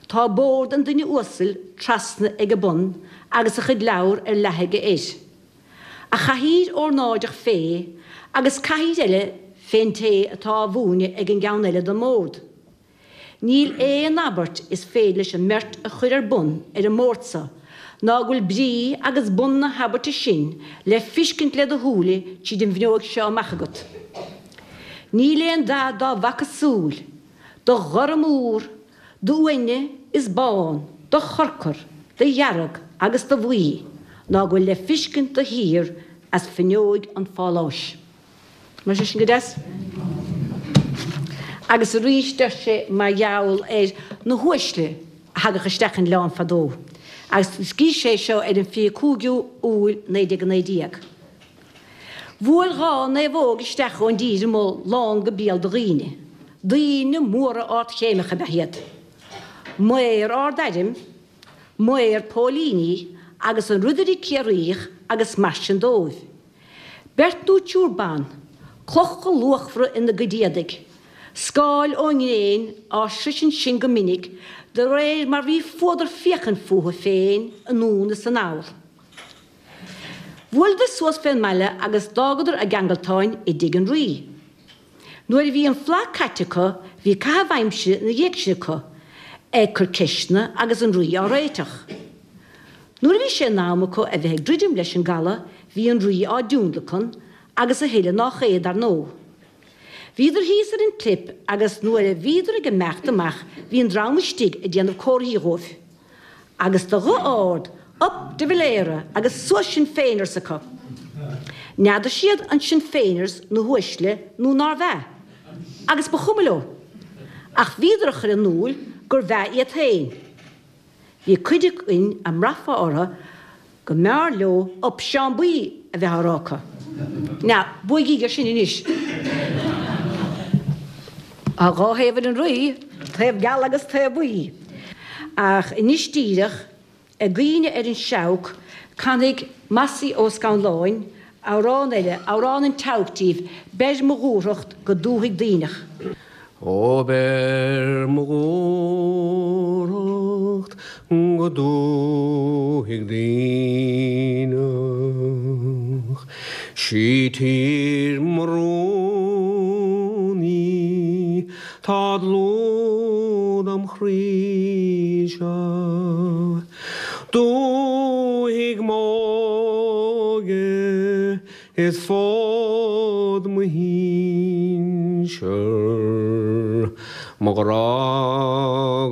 Tá bord an duine uasail trasna ag a bun agus a chuid leabhar ar leathadh aige air. A chathaoir ornáideach fé agus cathaoir eile fén té atá á mhúineadh ag an gceann eile den mbord. Níl aon abairt is féidir leis an mbeirt a chur ar bun ar an mbord so ná go bhfuil brí agus bun na habairte sin le fiscint le do shúile tríd an bhfuinneoig seo amach agat. Níl aon dath dá bhfaca súil, de ghorm úr, d'uaine is bán, de chorcar, de dhearg agus de bhuí, ná go bhfuil le fiscint de shíor as fuinneoig an pháláis. An bhfuil sé sin go deas? Agus arís deir sé mar gheall ar na huaisle a thagadh isteach an oileán fadó. Agus scríobh sé seo ar an fiche cúigiú Iúil naoi déag a naoi déag. Bhuail dhá naomhóg isteach ón dtír amuigh lán go béal de dhaoine. Daoine móra ardchéimeacha ab ea iad. Maor ard-airm, maor póilíní agus an Ridire Ciarraíoch agus mar sin dóibh. Beirt nó triúr ban, clocha luachmhara ina gcuid éadaigh, scáil ón ngréin á sroisint sin go minic de réir mar bhí fuadar féachaint fúthu féin anonn is anall. Bhuaileadar suas fén mbaile agus d'fhágadar a gceangaltáin i dtigh an Rí. Nuair a bhí an fleadh caite acu bhí caitheamh aimsire ina dhiaidh sin acu, ag cur ceisteanna agus an Rí á réiteach. Nuair a bhí sé in am acu a bheith ag druidim leis an gcaladh bhí an Rí á dtionlacan agus a thuilleadh nách é, dar ndóigh. Bhíodar thíos ar an gclip agus nuair a bhíodar ag imeacht amach bhí an dream istigh ag déanamh comharthaí dhóibh. Agus de ghuth ard, Up de Valera agus suas Sinn Féiners acu. N'fheadar siad an Sinn Féiners na huaisle nó nárbh ea, agus ba chuma leo. Ach bhíodar a chur in iúl gurbh ea iad féin. Bhí cuid againn a mbraithfeá orthu go mb'fhearr leo Up Seán Buí a bheith á rá acu. Now, buaigíg air sin anois. Tá dhá thaobh ar an rí, taobh geal agus taobh buí. Ach anois díreach, i gcuimhne ar an seabhac, canfaidh Mossie Ó Scanláin amhrán eile, amhrán an tseabhaic díbh, Beir mo dhúthracht go dúthaigh Duibhneach. Ó beir mo dhúthracht go dúthaigh Duibhneach, Sí tír mo rún í, tá dlúth dom chroí-se. Dúthaigh m'óige is fód mo shinsear, mo ghrá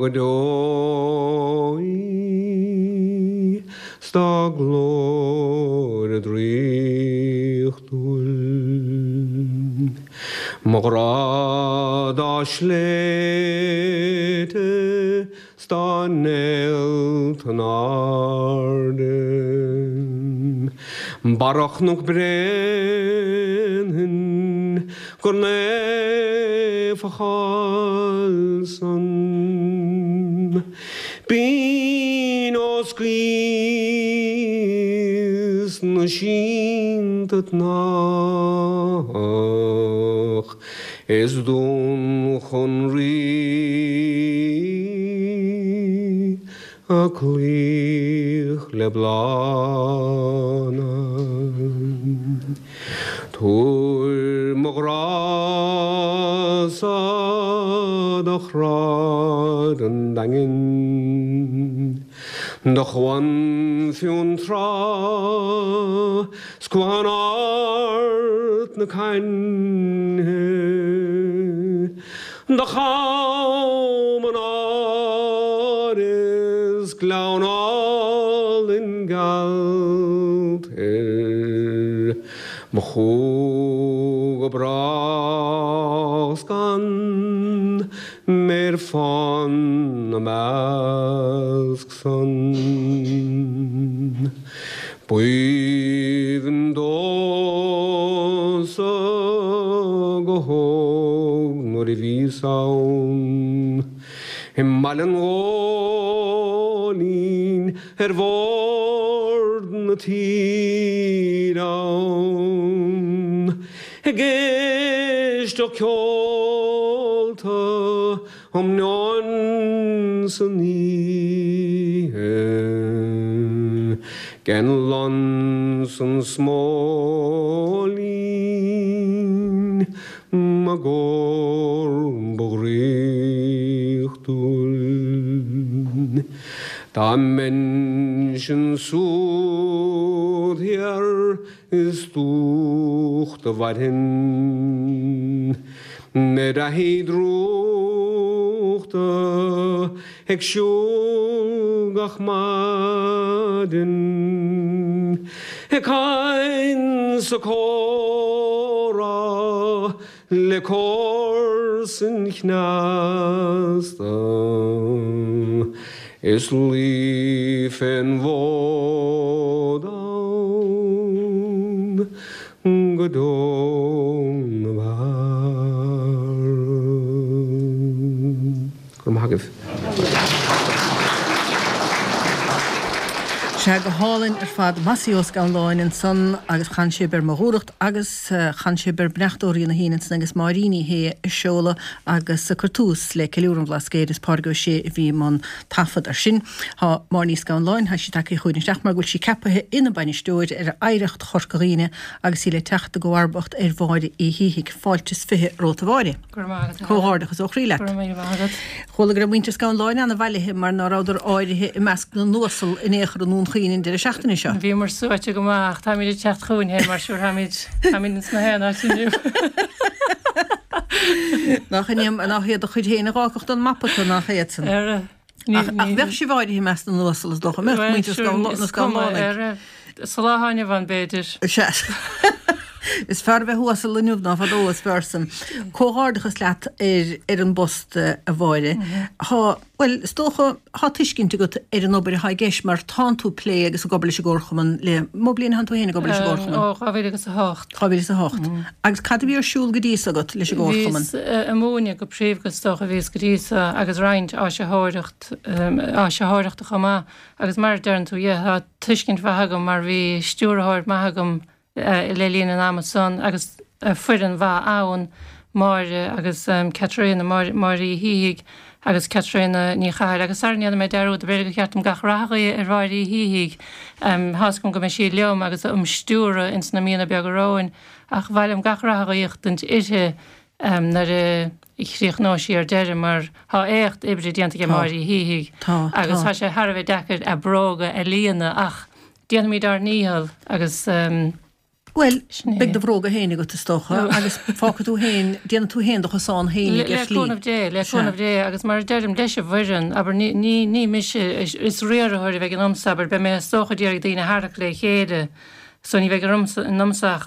go deo í 's dá glóire draíochtúil. Mo ghrá dá sléibhte 's dá néalta in airde, Barra Chnoc Bréanainn gur naofa a cháil san. Binn os gaoth na sínte tnách is Dún Chonraí a cloích le bláthanna. Tabhair do Shráid an Daingin, do Chuan Fionntrá 's Cuan Ard na Cainche, do Cham an Áir is Gleann álainn geal thoir, mo chú go brách 's gan mé ar fán 'na measc san. B'aoibhinn domhsa go hóg nuair a bhíos ann i mBaile an Ghóilín ar bhord na tíre ann ag éisteacht ceolta um meon san oíche den lon 's an smóilín mo gcór ba dhraíochtúil. Dá mbeinnse ansúd thiar is dúch do mhairfinn I dtaithí drúchta ag siúl gach maidin, ag caint 's ag comhrá le comharsain chneasta, is luí fén bhfód ann go deo na bhfear. Go raibh maith agaibh. Sea, go hálainn ar fad. Mossy Ó Scanláin ansan agus chan sé Beir Mo Dhúthracht agus chan sé Beir Beannacht ó Rí na hAoine ansan agus Máirín Uí Shé ag seoladh agus ag cur tús le Ceiliúradh an Bhlascaoid is Pádraig Ó Sé a bhí i mbun taifead ar sin. Tá Máire Ní Scanláin, tá sí tagtha chugainn isteach mar go bhfuil sí ceapaithe ina bainisteoir ar Oidhreacht Chorca Dhuibhne agus í le teacht i gcomharbacht ar Mháire Uí Shíthigh. Fáilte is fiche romhat a Mháire. Go raibh maith agat. Comhghairdeachas ó chroí leat. Go raibh míle maith agat. Chuala go raibh muintir Scanláin ana-bhailithe mar ná rabhadar áirithe i measc na n-uasal in aon chor i nDún Chaoin an deireadh seachtaine seo. Bhíomar suaite go maith ach táimid ag teacht chugainn féin mar sure táimid táimid ins na haon áit inniu. Nach nach iad do chuid féin a dh'fhágfadh don mapa tú nach iad san. Ar Ach ach bheadh sibh áirithe i measc na n-uasal is dócha, mbeadh muintir na Scanlánaigh. Sa lá atá inniu ann b'fhéidir. Sea. Is fearr bheith uasal inniu ná fadó is fearr san. Comhghairdeachas leat ar ar an bpost a Mháire. Tá bhuel is dócha tá tuiscint agat ar an obair atá i gceist mar tánn tú ag plé agus ag obair leis an gComharchumann le mó bliain a thánn tú féin ag obair leis an gComharchumann? Ó dhá mhíle agus a hocht. Dhá mhíle is a hocht. Agus cad a bhí ar siúl go dtí so agat leis an gComharchumann? Bhíos ag múineadh go príomha is dócha a bhíos go dtí so agus roinnt áisitheoireacht áisitheoireachta chomh maith agus mar a deireann tú yeah tá tuiscint mhaith agam mar bhí stiúrthóir maith agam le linn an ama san agus foireann mhaith ann, Máire agus Caitríona, Máire Uí Shíthigh agus Caitríona Ní Chathail. Agus sara ndéana mé dearúd, b'fhéidir gur cheart dom gach rath a ghuí ar Mháire Uí Shíthigh. Tá's agam go mbeidh sí liom agus am stiúradh ins na míonna beaga romhainn ach ba mhaith liom gach rath a ghuíochtaint uirthi nuair a chríochnóidh sí ar deireadh mar tá éacht oibre déanta ag Máire Uí Shíthigh agus tá sé thar a bheith deacair a bróga a líonadh ach déanfaimid ár ndícheall agus Bhuel, sin é. beidh do bhróga féin agat is dócha agus fágfaidh tú féin, déanfaidh tú féin do chosán féinig Le ar shlí. cúnamh Dé, le Sea. cúnamh Dé agus mar a deirim leis an bhfoireann, abair, ní, ní, ní mise, is riarthóir a bheidh ionamsa, abair, beidh mé is dócha d'iarraidh daoine a tharrac le chéile so ní bheidh ionamsa ach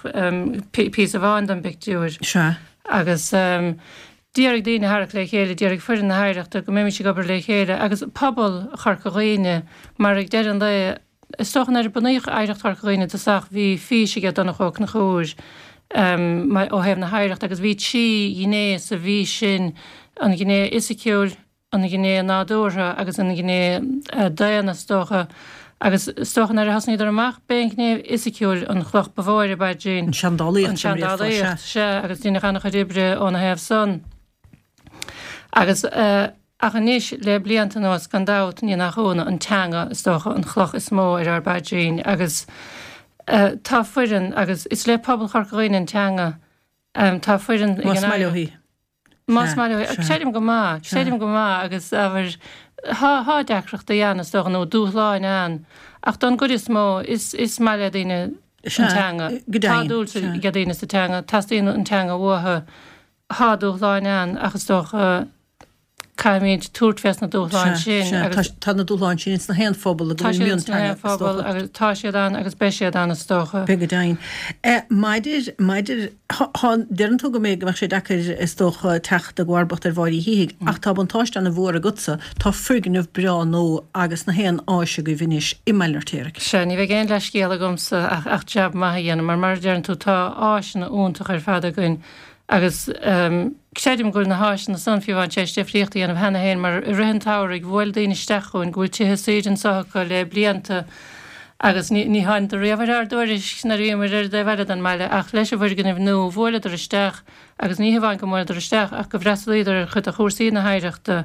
píosa amháin den bpictiúr. Sea. Agus d'iarraidh daoine a tharrac le chéile, d'iarraidh foireann na hOidhreachta go mbeimis ag obair le chéile agus pobal Chorca Dhuibhne mar ag deireadh an lae, Is dócha nuair a bunaíodh Oidhreacht Chorca Dhuibhne i dtosach bhí fís aige Donncha Ó Conchúir ó thaobh na hoidhreachta agus bhí trí ghné sa bhfís sin, an ghné fhisiciúil, an ghné nádúrtha agus an ghné daonna is dócha. Agus is dócha nuair a thosnaíodar amach b'é an ghné fhisiciúil an chloch ba mhó ar a bpaidrín. An seandálaíocht, An seandálaíocht, sea, agus deineadh an-chuid oibre óna thaobh san. Agus. Ach anois, le blianta anuas, gan dabht, ní nach ionadh, an teanga, is dócha, an chloch is mó ar ár bpaidrín. Agus tá foireann, agus is le pobal Chorca Dhuibhne an teanga, tá foireann ag Más an maith leo Oidhreacht. í. Más maith leo, creidim go maith, creidim go maith agus abair thá thá deacrachtaí ann is dócha nó dúshláin ann ach don gcuid is mó is is maith le daoine an teanga. Tá dúil ag daoine sa teanga, teastaíonn an teanga uathu. Thá dúshláin ann ach is dócha caithfimid tabhairt fés na dúshláin sin agus tá na dúshláin sin ins na haon phobal tá siad ins na haon phobal agus tá siad ann agus beidh siad ann is dócha. Beidh go deimhin. Maidir, maidir, thá, deireann tú go mbeidh, go mbeadh sé deacair is dócha teacht i gcomharbacht ar Mháire Uí Shíthigh ach tá buntáiste ana mhór agatsa, tá foirgneamh breá nua agus na haon áis agaibh anois i mBaile an Fheirtéaraigh. Sea, ní bheidh aon leithscéal agamsa ach, ach jab maith a dhéanamh mar mar a deireann tú tá áiseanna iontach ar fad againn Agus creidim go bhfuil na háiseanna san fiú amháin tar éis difríocht a dhéanamh cheana féin mar i rith an tsamhraidh bhuail daoine isteach chugainn go bhfuil tithe saoire anso acu le blianta agus ní ní tháinadar riamh ar ár dtuairisc nuair a bhíomar ar an dtaobh eile den mbaile ach leis an bhfoirgneamh nua bhuaileadar isteach agus ní hamháin go mbuaileadar isteach ach go bhfreastalaíodar ar chuid de chúrsaí na hoidhreachta,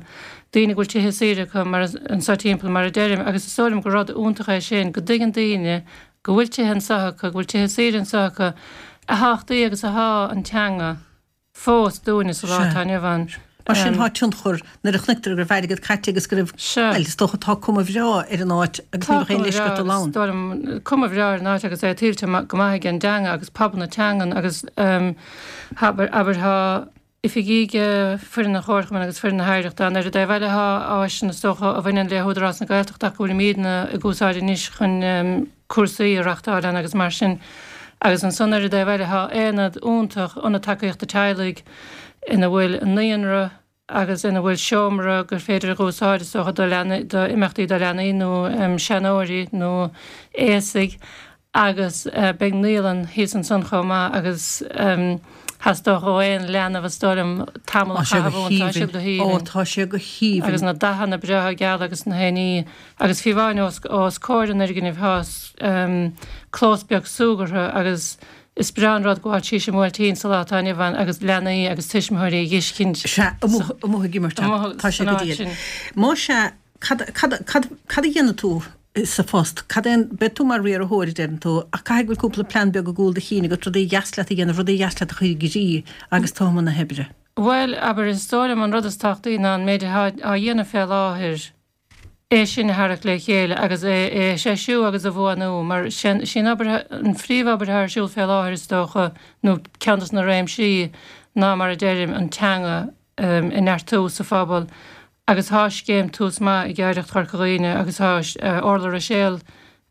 daoine go bhfuil tithe saoire acu mar anso timpeall mar a deirim agus is dóigh liom gur rud iontach é sin go dtuigeann daoine go bhfuil tithe anso acu, go bhfuil tithe saoire anso acu, a thábhachtaí agus athá an teanga fós dúinne sa lá atá inniu ann. Mar sin thá tionchar nuair a chonaicear go raibh airgead caite agus go raibh, bhuel, is dócha tá cuma bhreá ar an áit agus ní bheadh aon leisce ort dul ann. Tá cuma bhreá, cuma bhreá ar an áit agus é tuillte go maith ag an dteanga agus pobal na teangan agus abair, abair thá oifigí ag foireann an Chomharchumainn agus foireann na hOidhreachta ann. Ar an dtaobh eile thá áiseanna is dócha a bhaineann le hÚdarás na Gaeltachta ach go bhfuilimídne ag úsáid anois chun cúrsaí a reachtáil ann agus mar sin. Agus ansan ar an dtaobh eile thá aonad iontach, Ionad Tacaíochta Teaghlaigh, ina bhfuil naíonra agus ina bhfuil seomra gur féidir a dh'úsáid is dócha do leanaí, do imeachtaí do leanaí nó seanóirí nó aosaigh agus beidh naíolann thíos ansan chomh maith agus theastódh ó aon leanbh is dóigh liom tamall a chaitheamh ann, tá sé go haoibhinn. Ó tá sé go haoibhinn. Agus na dathanna breátha geala agus na haon ní agus fiú amháin os os comhair an fhoirgnimh thá clós beag súgartha agus is breá an rud gabháil síos i mBuailtín sa lá atá inniu ann agus leanaí agus tuismitheoirí a dh'fheiscint Sea, amuigh amuigh ag imirt ann. Tá sé go diail. Más ea, cad cad cad cad a dhéanfaidh tú sa phost? Cad é an, beidh tú mar riarthóir, a deireann tú, ach caithfidh go bhfuil cúpla plean beag i gcúl do chinn agat, rudaí a dheas leat a dhéanamh, rudaí a dheas leat a chur i gcrích agus tú i mbun na hoibre. Bhuel, abair, is dóigh liom an rud is tábhachtaí ná an méid atá á dhéanamh fé láthair, é sin a tharrac le chéile agus é a threisiú agus a bhuanú, mar sin an obair, an phríomhobair atá ar siúl fé láthair is dócha, nó ceann dos na réimsí, ná mar a deirim, an teanga a neartú sa phobal. Agus thá scéim Tús Maith ag Oidhreacht Chorca Dhuibhne agus thá Orla Ruiséal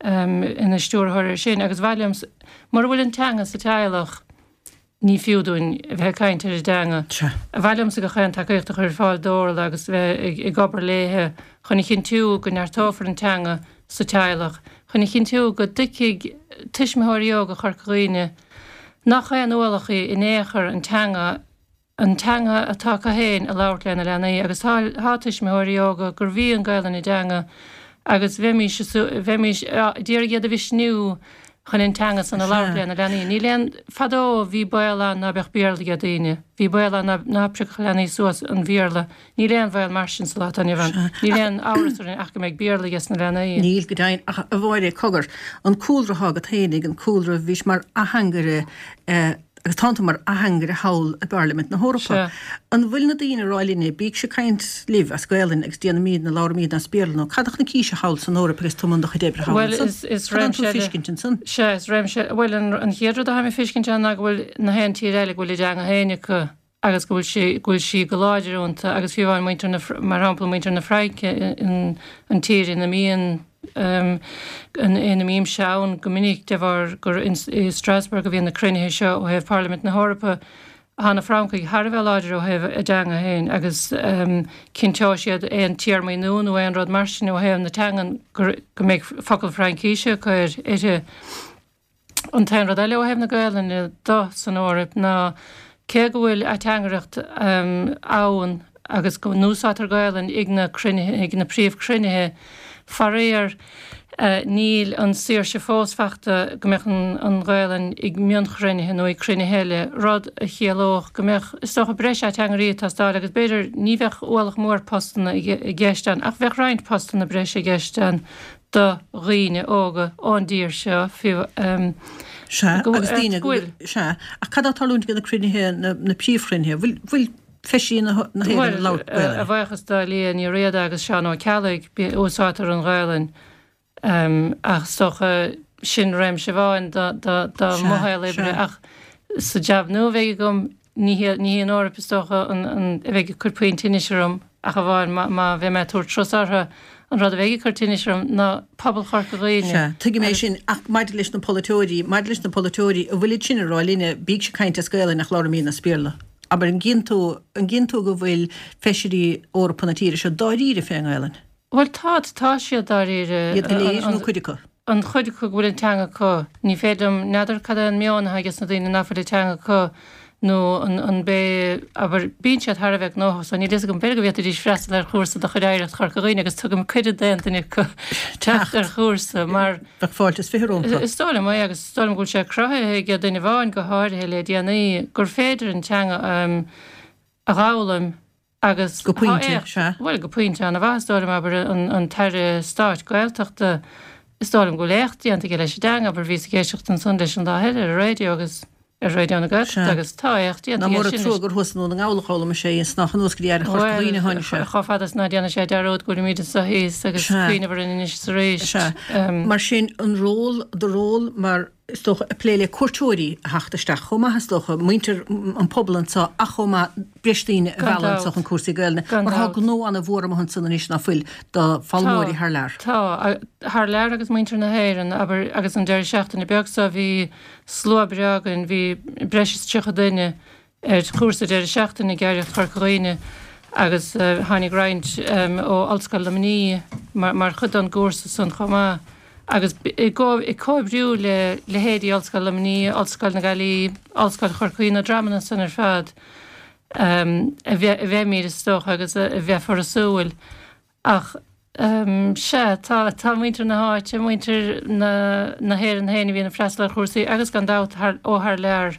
ina stiúrthóir air sin agus mhaith liom, mura bhfuil an teanga sa teaghlach ní fiú dúinn a bheith ag caint ar an dteanga. Mhaith liomsa gach aon tacaíocht a chur ar fáil d'Orla agus bheith ag obair léithe chun a chinntiú go neartófar an teanga sa teaghlach, chun a chinntiú go dtuigfidh tuismitheoirí óga Chorca Dhuibhne nach aon ualach í in aon chor an teanga an teanga atá acu féin a labhairt lena leanaí agus tá tá tuismitheoirí óga gurbh í an Ghaelainn a dteanga agus bheimís bheimís d'iarraidh iad a mhisniú chun an teanga san a labhairt lena leanaí. Níl aon fadó bhí baol ann ná beadh Béarla ag daoine, bhí baol ann ná ná priocfadh leanaí suas an Bhéarla. Níl aon bhaol mar sin sa lá atá inniu ann. Níl aon amhras orainn ach go mbeidh Béarla ages na leanaí. Níl, go deimhin, ach a Mháire, cogar, an cúlra atá agat fhéinig, an cúlra, bhís mar atheangaire eh, Agus tánn tú mar atheangaire thall i bPairlimint na hEorpa. An bhfuil na daoine ag rá linne, bígse ag caint libh as Gaelainn agus déanaimídne, labhraimídne as Béarla nó cad a chonaicis thall san Eoraip agus tú i mbun do chuid oibre thall Bhuel, ansan? is, is Cad atánn réimse tú ag eile, feiscint ansan? sea, is réimse, bhuel, an, an chéad rud atáim ag feiscint ann ná go bhfuil na haon tír eile go bhfuil a dteanga féin acu agus go bhfuil sí, go bhfuil sí go láidir iontu agus fiú amháin muintir na, mar shampla muintir na Fraince, an, an tír ina mbíonn ina mbímse ann go minic de bharr gur i Strasbourg a bhíonn na cruinnithe seo ó thaobh Pharlaimint na hEorpa. Tá na Francaigh thar a bheith láidir ó thaobh a dteanga féin agus cinnteoidh siad aon téarmaí nua nó aon rud mar sin ó thaobh na teangan go mbeidh focal Fraincíse acu uirthi. An t-aon rud eile ó thaobh na Gaelainne do san Eoraip ná cé go bhfuil ateangaireacht ann agus go n-úsáidtear Gaelainn ag na cruinnithe, ag na príomhchruinnithe, faraor níl an saoirse fós fachta go mbeadh an Ghaelainn ag mionchruinnithe nó ag cruinnithe eile, rud a chiallódh go mbeadh, is dócha, breis ateangairí ag teastáil agus b'fhéidir ní bheadh ualach mór postanna i gceist ann ach bheadh roinnt postanna breise i gceist ann do dhaoine óga ón dtír seo fiú. Sea, agus daoine, sea, ach cad atá ag tarlúint ag na cruinnithe, na príomhchruinnithe? Bhfuil, bhfuil. Feisirí na hÉireann ag labhairt Gaelainne. A bhuíochas do Liadh Ní Riada agus Seán Ó Ceallaigh, úsáidtear an Ghaelainn ach is dócha sin réimse amháin do mo shaol oibre ach sa jab nua a bheidh agam ní hí an Eoraip is dócha a bheidh ag cur puinn tinnis orm ach amháin má bheidh mé ag tabhairt turas orthu. An rud a bheidh ag cur tinnis orm ná pobal Chorca Dhuibhne. Sea, tuigim é sin ach maidir leis na polaiteoirí, maidir leis na polaiteoirí, an bhfuilid sin ag rá linne, bígse ag caint as Gaelainn ach labhraímidne as Béarla. Abair, an gcíonn tú, an gcíonn tú go bhfuil feisirí Eorpacha na tíre seo dáiríre fén nGaelainn? Bhuel tá, tá siad dáiríre. Iad go léir nó cuid acu? An chuid acu go bhfuil an teanga acu. Ní féidir liom, n'fheadar cad é an meon atá ages na daoine nach bhfuil an teanga acu nó an an bé, abair, bíonn siad thar a bheith gnóthach so níl fhios agam, b'fhéidir go bhféadfaidís freastal ar chúrsa de chuid Oidhreacht Chorca Dhuibhne agus tugaim cuireadh d'aon duine acu teacht ar chúrsa mar Bheadh fáilte is fiche rompu. Is dóigh liom é agus is dóigh liom go bhfuil sé cruthaithe ag duine amháin go háirithe le déanaí gur féidir an teanga a dh'fhoghlaim agus Go pointe, sea. Bhuel, go pointe an-mhaith is dóigh liom, abair, an tAire Stáit Gaeltachta, is dóigh liom go bhfuil éacht déanta aige leis an dteanga, abair, bhíos ag éisteacht ansan leis an lá eile ar an raidió agus ar Raidió na Gaeltachta agus tá éacht déanta aige sin. Nach mór an trua gur thuas i nDún na nGall a d'fhoghlaim sé í is nach anuas go dtí Oidhreacht Chorca Dhuibhne a tháinig sé. Bhuel, chomh fada is ná déanann sé dearúd go bhfuilimid anseo thíos agus cuimhneamh orainn anois is arís. Sea. Mar sin, an ról, do ról mar, is dócha, ag plé le cuairteoirí a theacht isteach chomh maith, is dócha, muintir an pobal anseo ach chomh maith breis daoine a mhealladh anseo chun cúrsaí Gaelainne, mar tá gnó an-mhór amuigh ansan anois ná fuil do foghlaimeoirí thar lear. Tá, thar lear agus muintir na hÉireann, abair, agus an deireadh seachtaine beag seo bhí slua breá againn, bhí breis is tríocha duine ar chúrsa deireadh seachtaine ag Oidhreacht Chorca Dhuibhne agus tháinig roinnt ó Ollscoil Luimnigh mar chuid den gcúrsa san chomh maith agus i gcomhoibriú le leithéidí Ollscoil Luimnigh, Ollscoil na Gaillimhe, Ollscoil Chorcaí, na dreamanna san ar fad a bheimid is dócha agus a bheifear ag súil. Ach sea, tá, tá muintir na háite, muintir na na hÉireann féin a bhíonn ag freastal ar chúrsaí agus gan dabht thar, ó thar lear.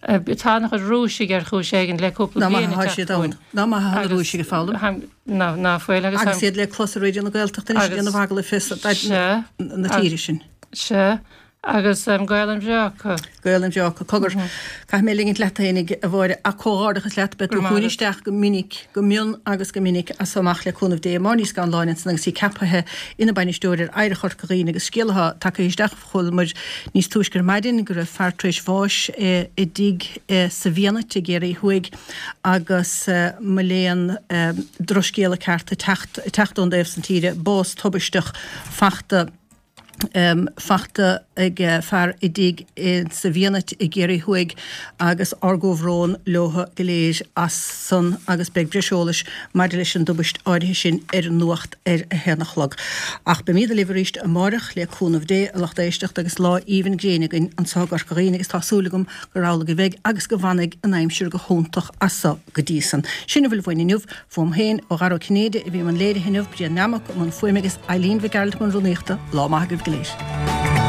Tá an-chuid Rúisigh ar chúis éigin le cúpla Nach bliain maith ag atá teacht siad ann. chugainn. Nach maith atá na Agus Rúisigh ag foghlaim. ná, ná fuil agus Agus iad le clos ar Raidió na Gaeltachta anois ag Agus déanamh agallamh fé sea, na tíre sin. Sea. Agus Gaelainn bhreá acu. Gaelainn bhreá acu. Cogar, caithfidh mé ligint leat fhéinig, a Mháire, ach comhghairdeachas leat, beidh tú chugainn isteach go minic, go mion agus go minic as so amach le cúnamh Dé. Máire Ní Scanláin ansan agus í ceaptha ina bainisteoir ar Oidhreacht Chorca Dhuibhne agus scéal atá tagtha isteach, chualamar níos túisce ar maidin go raibh fear tar éis bháis i dtigh sa bhFianait i gCiarraí Thuaidh agus mo léan drochscéala ceart ag teacht, ag teacht ón dtaobh san tíre, bás tubaisteach fachta. fachta ag fear i dtigh sa bhFianait i gCiarraí Thuaidh agus ár gcomhbhrón leotha go léir as san agus beidh breis eolais maidir leis an dtubaist áirithe sin ar an nuacht ar a haon a chlog. Ach beimíd libh arís amáireach le cúnamh Dé, a lucht éisteachta agus lá aoibhinn gréine againn anso i gCorca Dhuibhne agus tá súil agam gur amhlaidh a bheidh agus go bhfanfaidh an aimsir go hiontach as so go dtí san. Sin a bhfuil uainn inniu. Fúm féin, ó Dhara Ó Cinnéide a bhí i mbun léirithe inniu, Brian Nammock i mbun fuaime agus Eileen Mhic Gearailt i mbun rúnaíochta. Lá maith agaibh go léir.